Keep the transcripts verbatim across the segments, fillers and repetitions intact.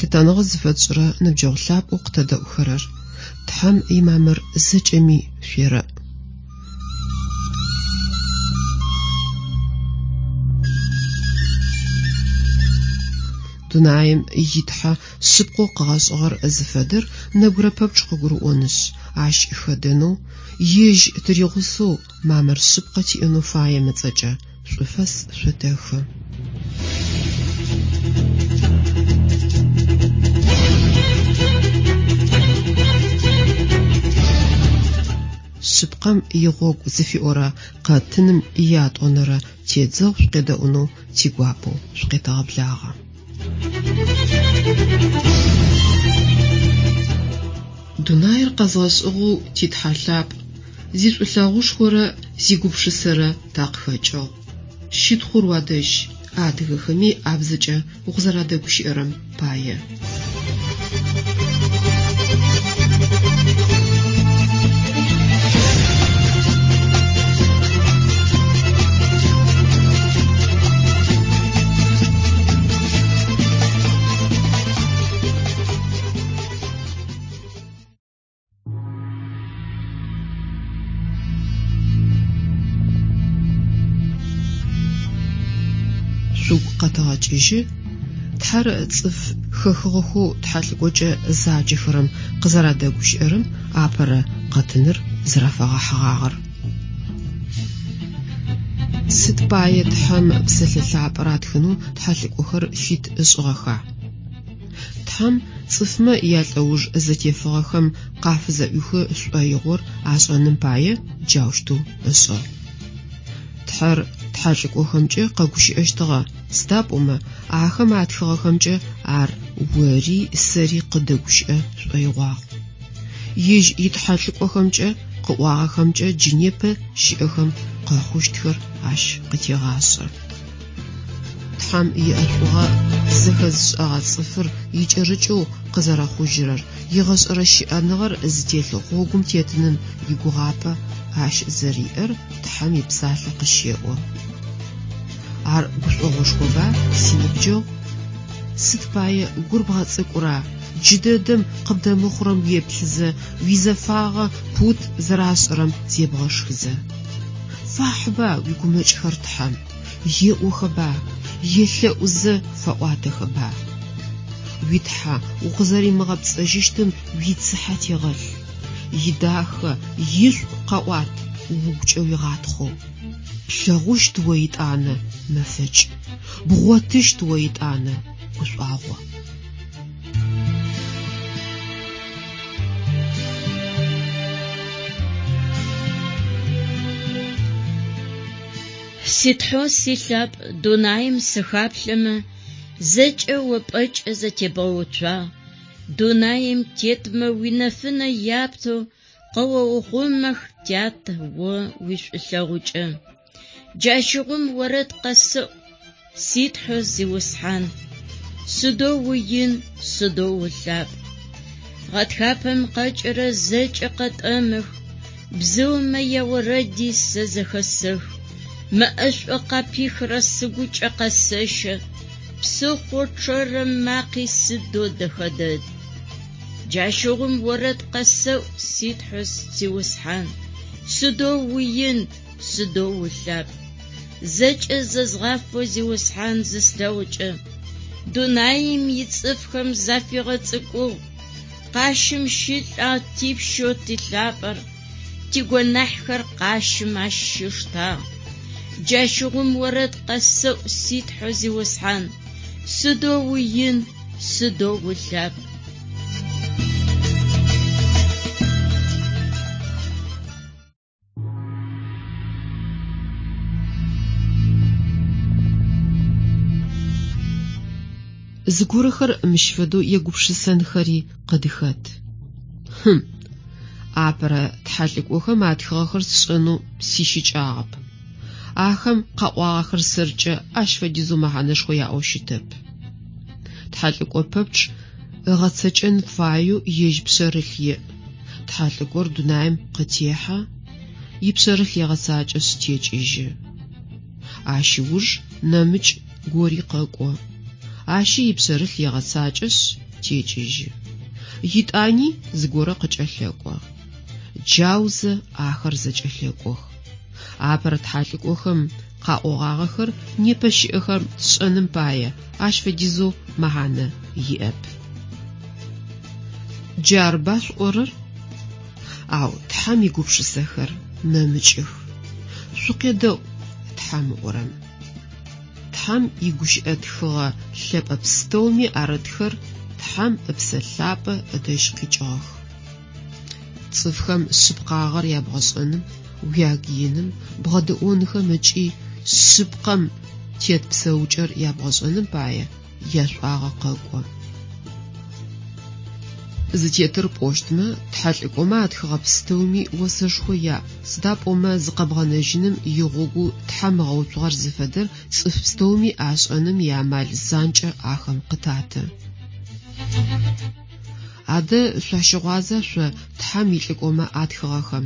Лъытэныгъэ зыфэтшӏырэ ныбджэгъу лъапӏэу къытэдэӏухэрэр, Тхьэм имамыр зэкӏэми шъуерэӏ! Дунаим и Тхьэ шъыпкъэу къыгъэшӏыгъэр зыфэдэр нэбгырэ пэпчъ къыгурыӏонышъ, ащ хэдэнэу, ежь тыригъусэу мамыр шъыпкъэ тиӏэнэу фаем ыцӏэкӏэ шӏуфэс шъотэхы. Шъыпкъэм игъогу зыфиӏорэ къэтыным иятӏонэрэ тедзэгъу шъукъедэӏунэу тигуапэу шъукъетэгъэблагъэ. Дунаир къэзгъэшӏыгъэу ти Тхьэ лъапӏ, зишӏулъэгъушхорэ зигупшысэрэ такъыхэкӏыгъ. Щытхъур уадэжь, адыгэхэми абзэкӏэ укъызэрадэгущыӏэрэм пае. Шъугу къэтэгъэкӏыжьы, Тхьэр цӏыф хэхыгъэхэу тхьэлӏыкӏокӏэ заджэхэрэм къызэрадэгущыӏэрэм апэрэ къэтыныр зэрафэгъэхьыгъагъэр. Сыд пае Тхьэм псэлъэ лъапӏэр атхынэу тхьэлӏыкӏохэр фит ышӏыгъэха? Тхьэм цӏыфмэ ялӏэуж зэтефыгъэхэм къафызэӏуихы шӏоигъор ашӏэным пае джаущтэу ышӏыгъ. Тхьэр тхьэлӏыкӏохэмкӏэ къэгущыӏэщтыгъэ, сыда пӏомэ ахэм атхыгъэхэмкӏэ ар ори сэри къыдэгущыӏэ шӏоигъуагъ. Ежь итхьэлӏыкӏохэмкӏэ къыӏуагъэхэмкӏэ джы непэ щыӏэхэм къэхъущтхэр ащ къытегъашӏэ. Тхьэм иӏэшӏугъэ зэхэзышӏэгъэ цӏыфыр икӏэрыкӏэу къызэрэхъужьырэр, игъэшӏэрэ щыӏэныгъэр зытелъ гъогум тетыным игугъапӏэ ащ зэриӏэр Тхьэм ипсалъэ къыщеӏо. Ар гушӏогъошхоба, синыбджэгъу? Сыд пае гур бгъэцӏыкӏура, джыдэдэм къыбдэмыхъурэм уеплъызэ, уизэфагъэ пут зэрашӏэрэм зебгъэшхызэ. Фахьыба уигумэкӏхэр Тхьэм, еӏохэба, елъэӏузэ фэӏуатэхэба. Уи Тхьэ укъызэримыгъэпцӏэжьыщтым уицыхьэ тегъэлъ. Идахэ, ишӏу къэӏуат, угукӏэ уигъатхъэу. Плъэгъущт о итӏанэ мэфэкӏ, бгъотыщт о итӏанэ гушӏуагъо. Ситхьэу силъапӏ дунаим сыхаплъэмэ, зэкӏэ о пӏэкӏэ зэтебгъэуцуагъ. Дунаим тетмэ уинэфынэ яптэу къэоухъумэх, тят, о уишӏулъэгъукӏэ. Джащыгъум орэд къэсэӏу, ситхьэу зиусхьан. Сыдэу уин, сыдэу улъапӏ. Гъэтхапэм къэкӏырэ зэкӏэ къэтӏэмых, бзыумэ яорэди сэ зэхэсэх. Мэӏэшӏу къапихырэ сыгукӏэ къэсэщэ, псыхъо чъэрэм макъи сыдэу дэхэ дэд. Джащыгъум орэд къэсэӏу, ситхьэу зиусхьан. Сыдэу уин, сыдэу улъапӏ. Зэкӏэ зэзгъафэу зиусхьан зыслъэгъукӏэ, дунаим ицӏыфхэм зафигъэцӏыкӏугъ. Къащым щылӏагъ типщэу тилъапӏэр, тигонахьхэр къащым ащ щиштагъ. Джащыгъум орэд къэсэӏу, ситхьэу зиусхьан. Сыдэу уин, сыдэу улъапӏ. Зыгорэхэр мыщ фэдэу егупшысэнхэри къыдыхэт. Хым, апэрэ тхьэлӏыкӏохэм атхыгъэхэр сшӏэнэу сищыкӏагъэп. Ахэм къаӏуагъэхэр сэркӏэ ащ фэдизэу мэхьанэшхо яӏэу щытэп. Тхьэлӏыкӏо пэпчъ ыгъэцэкӏэн фаеу ежь пшъэрылъ иӏ. Тхьэлӏыкӏор дунаим къытехьэ, ипшъэрылъ егъэцакӏэшъ текӏыжьы. Ащ ыуж нэмыкӏ гори къэкӏо. Ащи ипшъэрылъ егъэцакӏэшъ, текӏыжьы. Етӏани зыгорэ къыкӏэлъэкӏо. Джаузэ ахэр зэкӏэлъэкӏох. Апэрэ тхьэлӏыкӏохэм къаӏогъагъэхэр непэ щыӏэхэм тшӏэным пае ащ фэдизэу мэхьанэ иӏэп. Джарба шъуӏорэр? Ау Тхьэм игупшысэхэр нэмыкӏых. Шъукъедэӏу Тхьэм ыӏорэм. Тхьэм игущыӏэ тхыгъэ лъэпӏэ пстэуми арытхэр Тхьэм ыпсэ лъапӏэ ыдэжь къикӏыгъэх. Цӏыфхэм шъыпкъагъэр ябгъэшӏэным, уягыиным, бгъэдэӏонхэм ыкӏи шъыпкъэм тет псэукӏэр ябгъэшӏэным пае яшӏуагъэ къэкӏо. Зытетыр пӏощтмэ, тхьэлӏыкӏомэ атхыгъэ пстэуми осэшхо яӏ, сыда пӏомэ зыкъэбгъэнэжьыным игъогоу Тхьэм ыгъэуцугъэр зыфэдэр цӏыф пстэуми ашӏэным иамал занкӏэ ахэм къытаты. Адэ шъуащыгъуаза шъо Тхьэм илӏыкӏомэ атхыгъэхэм?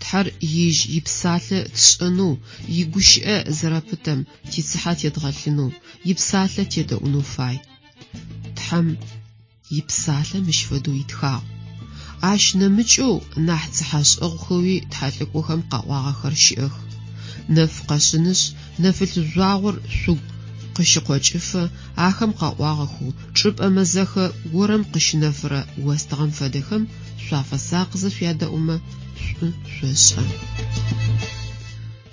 Тхьэр ежь ипсалъэ тшӏэнэу, игущыӏэ зэрэпытэм тицыхьэ тедгъэлъынэу, ипсалъэ тедэӏунэу фай. Тхьэм ипсалъэ мыщ фэдэу итхагъ. Ащ нэмыкӏэу нахь цыхьэшӏэгъухэуи тхьэлӏыкӏохэм къаӏуагъэхэр щыӏэх. Нэф къэшъынышъ, нэфылъ жъуагъор шъугу къыщыкъокӏыфэ ахэм къаӏуагъэхэу чӏыпӏэ мэзэхэ горэм къыщынэфырэ остыгъэм фэдэхэм шъуафэсакъызэ шъуядэӏумэ шӏу шъошӏэ.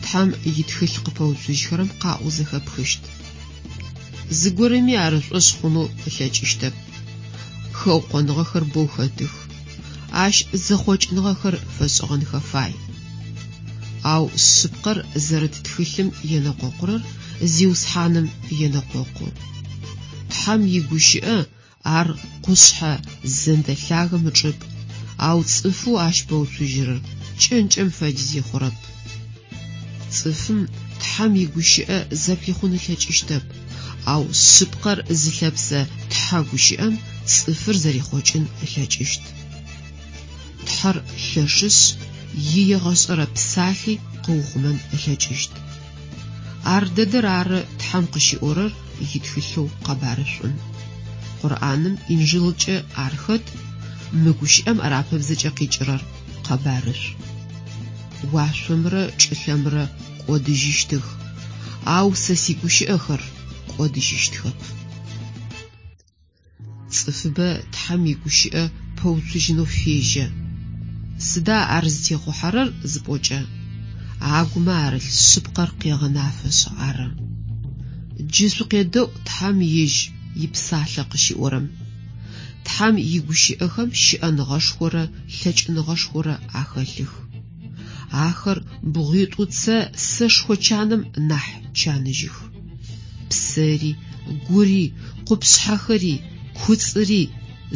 Тхьэм итхылъ къыпэуцужьхэрэм къаӏоу зэхэпхыщт. Зыгорэми ар ышӏошъ хъунэу ылъэкӏыщтэп. Хэукъоныгъэхэр боу хэтых. Ащ зэхъокӏыныгъэхэр фэшӏыгъэнхэ фай. Ау шъыпкъэр зэрыт тхылъым енэкъокъурэр Зиусхьаным енэкъокъу. Тхьэм игущыӏэ ар къушъхьэ зэндэ лъагэм ычӏыпӏ, ау цӏыфэу ащ пэуцужьырэр кӏэнкӏэм фэдизи хъурэп. Цӏыфым Тхьэм игущыӏэ зэблихъун ылъэкӏыщтэп, ау шъыпкъэр зылъэпсэ Тхьэ гущыӏэм цӏыфыр зэрихъокӏын ылъэкӏыщт. Тхьэр лъэшышъ, иегъэшӏэрэ псалъи къыухъумэн ылъэкӏыщт. Ар дэдэр ары Тхьэм къыщиӏорэр итхылъэу къэбарышӏум. Къурӏаным Инджылкӏэ ар хэт, мы гущыӏэм арапыбзэкӏэ къикӏырэр къэбарышӏу. Уашъомрэ чӏылъэмрэ кӏодыжьыщтых, ау сэ сигущыӏэхэр кӏодыжьыщтхэп. Цӏыфыбэ Тхьэм игущыӏэ пэуцужьынэу фежьэ. Сыда ар зытехъухьэрэр зыпӏокӏэ, агумэ арылъ шъыпкъэр къегъэнафэшъ ары. Джы шъукъедэӏу Тхьэм ежь ипсалъэ къыщиӏорэм. Тхьэм игущыӏэхэм щыӏэныгъэшхорэ лъэкӏыныгъэшхорэ ахэлъых. Ахэр бгъуитӏу-цэ сэшхо чаным нахь чаныжьых. Псэри, гури, къупшъхьэхэри, куцӏыри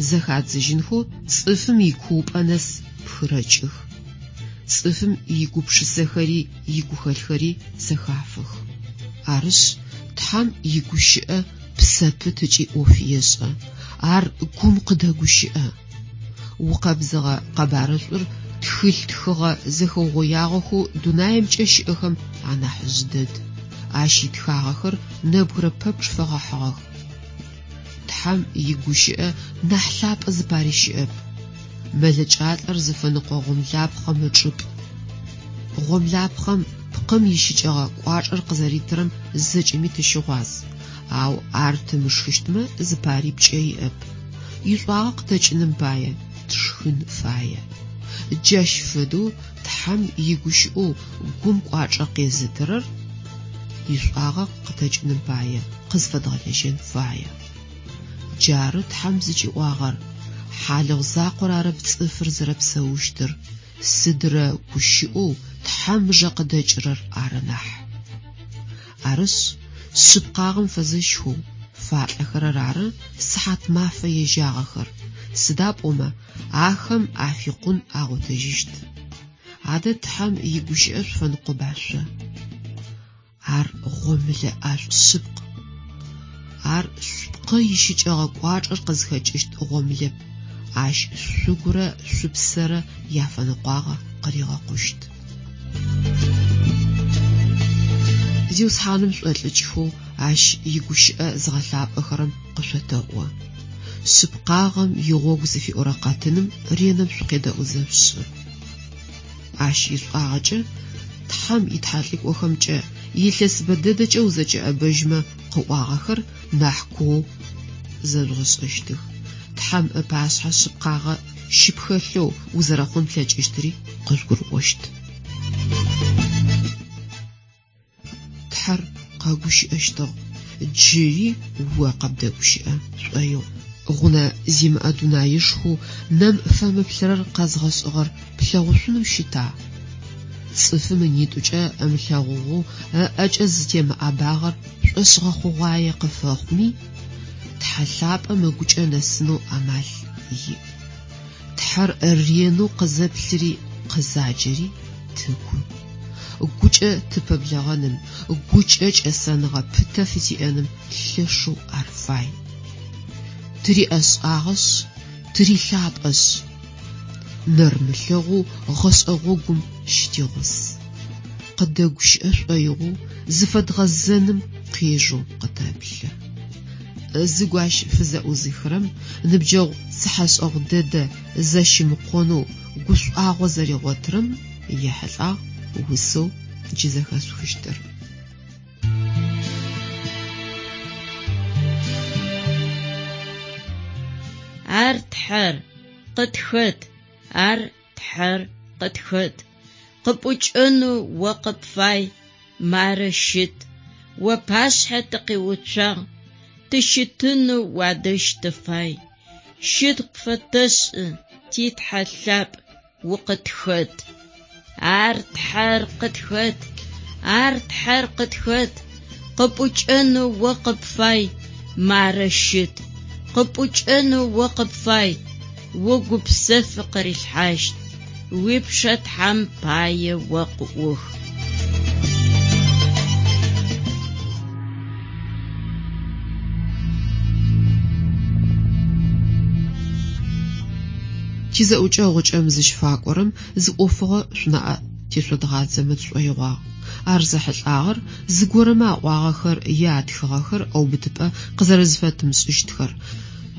зэхадзыжьынхэу цӏыфым икуупӏэ нэс пхырэкӏых. Цӏыфым игупшысэхэри игухэлъхэри зэхафых. Арышъ, Тхьэм игущыӏэ псэ пыт ыкӏи ӏоф ешӏэ. Ар гум къыдэгущыӏэ. Укъэбзыгъэ къэбарышӏур тхылъ тхыгъэ зэхэугъоягъэхэу дунаимкӏэ щыӏэхэм анахьыжъ дэд. Ащ итхагъэхэр нэбгырэ пэпчъ фэгъэхьыгъэх. Тхьэм игущыӏэ нахь лъапӏэ зыпари щыӏэп. Мэлэкӏалӏэр зыфэныкъо гъомлапхъэм ычӏыпӏ. Гъомлапхъэм пкъым ищыкӏэгъэ кӏуачӏэр къызэритырэм зэкӏэми тыщыгъуаз, ау ар тымышхыщтмэ зыпари пкӏэ иӏэп. Ишӏуагъэ къытэкӏыным пае тшхын фае. Джащ фэдэу Тхьэм игущыӏэу гум кӏуачӏэ къезытырэр ишӏуагъэ къытэкӏыным пае къызфэдгъэлэжьэн фае. Джары Тхьэм зыкӏиӏуагъэр: хьалыгъу закъор арэп цӏыфыр зэрэпсэущтыр, сыдрэ гущыӏэу Тхьэм ыжэ къыдэкӏырэр ары нахь. Арышъ, шъыпкъагъэм фэзэщхэу фалӏэхэрэр ары сыхьат мафэ ежьагъэхэр, сыда пӏомэ ахэм афикъун агъотыжьыщт. Адэ Тхьэм игущыӏэ шъуфэныкъоба шъо? Ар гъомылэ ӏэшӏу шъыпкъ. Ар шъупкъы ищыкӏэгъэ кӏуачӏэр къызхэкӏыщт гъомылэп, ащ шъугурэ шъупсэрэ яфэныкъуагъэ къыригъэкъущт. Зиусхьаным шӏолӏыкӏхэу ащ игущыӏэ зыгъэлъапӏэхэрэм къышъотэӏо. Шъыпкъагъэм игъогу зыфиӏорэ къэтыным ренэм шъукъедэӏузэ шъушӏы. Ащ ишӏуагъэкӏэ Тхьэм итхьэлӏыкӏохэмкӏэ илъэс бэдэдэкӏэ узэкӏэӏэбэжьмэ къыӏуагъэхэр нахь куоу зэжъугъэшӏэщтых. Тхьэм ыпашъхьэ шъыпкъагъэ щыпхэлъэу узэрэхъун плъэкӏыщтыри къыжъугурыӏощт. Тхьэр къэгущыӏэщтыгъ, джыри о къыбдэгущыӏэ шӏоигъу. Гъунэ зимыӏэ дунаишхоу нэм фэмыплъырэр къэзгъэшӏыгъэр плъэгъушъунэу щыта? Цӏыфым ынитӏукӏэ ымылъэгъугъэу ыӏэкӏэ зытемыӏэбагъэр шӏошъгъэхъугъуае къыфэхъуми, Тхьэ лъапӏэм ыгукӏэ нэсынэу амал иӏ. Тхьэр ренэу къызэплъыри къызаджэри тыгу. Гукӏэ тыпэблэгъэным, гукӏэ кӏэсэныгъэ пытэ фытиӏэным лъэшэу ар фай. Тыриӏэшӏагъэшъ, тырилъапӏэшъ, нэрмылъэгъоу гъэшӏэ гъогум щытигъус. Къыдэгущыӏэ шӏоигъоу зыфэдгъэзэным къежэу къытэплъы. Зыгу ащ фызэӏузыхырэм ныбджэгъу цыхьэшӏэгъу дэдэ зэщымыкъонэу гушӏуагъо зэригъотырэм ехьылӏагъ усэу джы зэхэшъухыщтыр. Ар Тхьэр къытхэт, ар Тхьэр къытхэт. Къыпӏукӏэнэу о къыпфай, мары щыт. О пашъхьэ тыкъиуцуагъ, тыщытынэу уадэжь тыфай. Щытхъу пфэтэшӏы, ти Тхьэ лъапӏ, укъытхэт. Ар Тхьэр къытхэт, ар Тхьэр къытхэт. Къыпӏукӏэнэу о къыпфай, мары щыт. Къыпӏукӏэнэу о къыпфай, о гупсэф къырилъхьащт. Уипшъэ Тхьэм пае о къыӏух. Тизэӏукӏэ гъукӏэм зыщыфакӏорэм зы ӏофыгъо шъунаӏэ тешъодгъадзэмэ тшӏоигъуагъ. Ар зэхьылӏагъэр зыгорэмэ аӏуагъэхэр е атхыгъэхэр ӏэубытыпӏэ къызэрэзыфэтымышӏыщтхэр,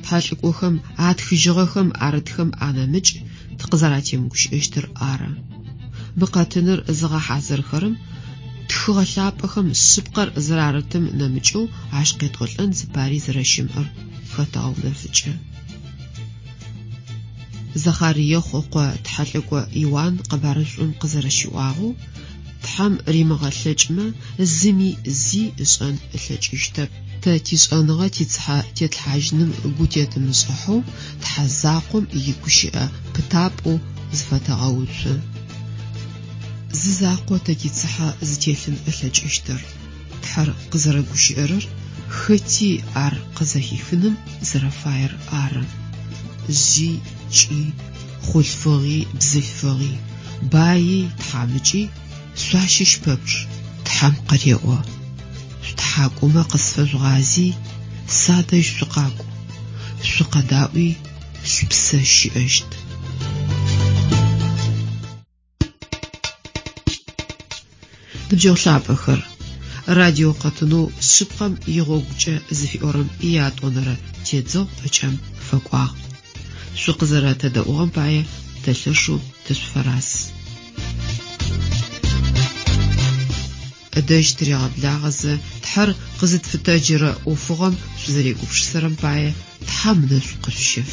тхьэлӏыкӏохэм атхыжьыгъэхэм арытхэм анэмыкӏ тыкъызэратемыгущыӏэщтыр ары. Мы къэтыныр зыгъэхьазырхэрэм тхыгъэ лъапӏэхэм шъыпкъэр зэрарытым нэмыкӏэу ащ къетӏолӏэн зыпари зэрэщымыӏэр хэтэгъэунэфыкӏы. Захариехъу ыкъо тхьэлӏыкӏо Иуан къэбарышӏум къызэрэщиӏуагъэу, Тхьэм римыгъэлъэкӏымэ зыми зи ышӏэн ылъэкӏыщтэп. Тэ тишӏэныгъэ тицыхьэ тетлъхьажьыным гу тетымышӏыхьэу Тхьэ закъом игущыӏэ пытапӏэу зыфэтэгъэуцу. Зы закъо тэ тицыхьэ зытелъын ылъэкӏыщтыр. Тхьэр къызэрэгущыӏэрэр хэти ар къызэхифыным зэрэфаер ары. Жъи кӏи, хъулъфыгъи бзылъфыгъи, баи тхьамыкӏи шъуащыщ пэпчъ Тхьэм къыреӏо. Шъутхьакӏумэ къысфэжъугъази, садэжь шъукъакӏу, шъукъэдаӏуи, шъупсэ щыӏэщт. Ныбджэгъу лъапӏэхэр, радио къэтынэу шъыпкъэм игъогукӏэ зыфиӏорэм иятӏонэрэ тедзэгъу ыкӏэм фэкӏуагъ. Шъукъызэрэтэдэӏугъэм пае тэ лъэшэу тышъуфэраз. Ыдэжь тыригъэблагъэзэ Тхьэр къызытфытэджырэ ӏофыгъом шъузэрегупшысэрэм пае Тхьэм ынэшӏу къышъущеф.